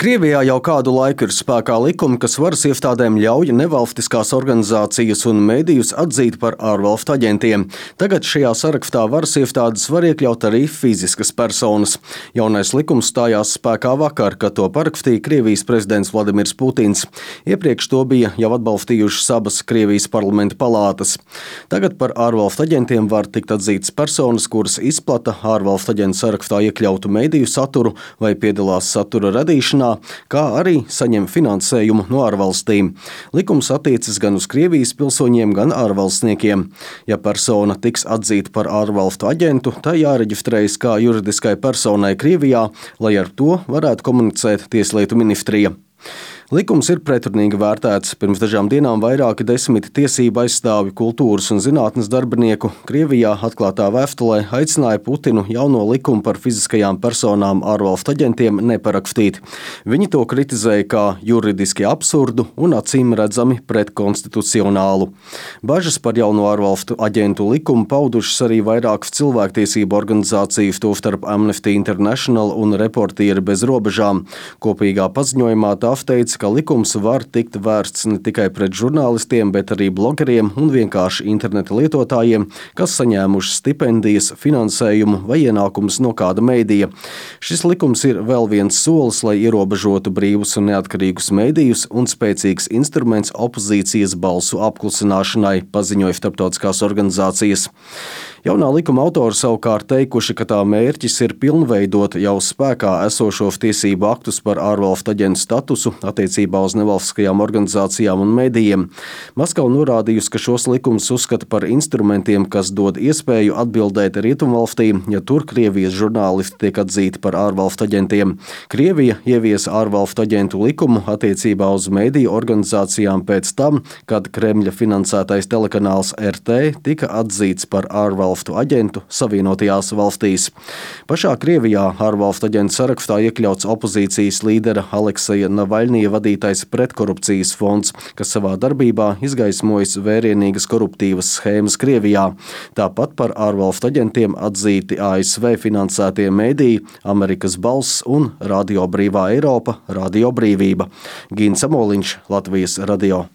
Krievijā jau kādu laiku ir spēkā likumi, kas varas iestādēm ļauj nevalstiskās organizācijas un medijus atzīt par ārvalstu aģentiem. Tagad šajā sarakstā varas iestādes var iekļaut arī fiziskas personas. Jaunais likums stājās spēkā vakar, kad to parakstīja Krievijas prezidents Vladimirs Putins. Iepriekš to bija jau atbalstījušas abas Krievijas parlamenta palātas. Tagad par ārvalstu aģentiem var tikt atzītas personas, kuras izplata ārvalstu aģentu sarakstā iekļautu mediju saturu vai piedalās satura radīšanā, kā arī saņem finansējumu no ārvalstīm. Likums attiecas gan uz Krievijas pilsoņiem, gan ārvalstniekiem. Ja persona tiks atzīta par ārvalstu aģentu, tā jāreģistrējas kā juridiskai personai Krievijā, lai ar to varētu komunicēt Tieslietu ministrija. Likums ir pretrunīgi vērtēts. Pirms dažām dienām vairāki 10 tiesību aizstāvju, kultūras un zinātnes darbinieku Krievijā atklātā vēstulē aicināja Putinu jauno likumu par fiziskajām personām ārvalstu aģentiem neparakstīt. Viņi to kritizēja kā juridiski absurdu un acīm redzami pretkonstitucionālu. Bažas par jauno ārvalstu aģentu likumu paudušas arī vairākas cilvēktiesību organizācijas, tostarp Amnesty International un Reportieri bez robežām. Kopīgā paziņojumā tās teica, ka likums var tikt vērsts ne tikai pret žurnālistiem, bet arī blogeriem un vienkārši interneta lietotājiem, kas saņēmuši stipendijas, finansējumu vai ienākumus no kāda mēdīja. Šis likums ir vēl viens solis, lai ierobežotu brīvus un neatkarīgus mēdījus un spēcīgs instruments opozīcijas balsu apklusināšanai, paziņoja starptautiskās organizācijas. Jaunā likuma autori savukārt teikuši, ka tā mērķis ir pilnveidot jau spēkā esošos tiesību aktus par ārvalstu aģentu statusu attiecībā uz nevalstiskajām organizācijām un medijiem. Maskava norādījusi, ka šos likumus uzskata par instrumentiem, kas dod iespēju atbildēt rietumvalstīm, ja tur Krievijas žurnālisti tiek atzīti par ārvalstu aģentiem. Krievija ieviesa ārvalstu aģentu likumu attiecībā uz mediju organizācijām pēc tam, kad Kremļa finansētais telekanāls RT tika atzīts par ārvalstu aģentu Savienotajās valstīs. Pašā Krievijā ārvalstu aģentu sarakstā iekļauts opozīcijas līdera Alekseja Navaļnija vadītais pretkorupcijas fonds, kas savā darbībā izgaismojis vērienīgas koruptīvas schēmas Krievijā. Tāpat par ārvalstu aģentiem atzīti ASV finansētie mediji Amerikas balss un Radio Brīvā Eiropa, Radio Brīvība. Gīns Amoliņš, Latvijas radio.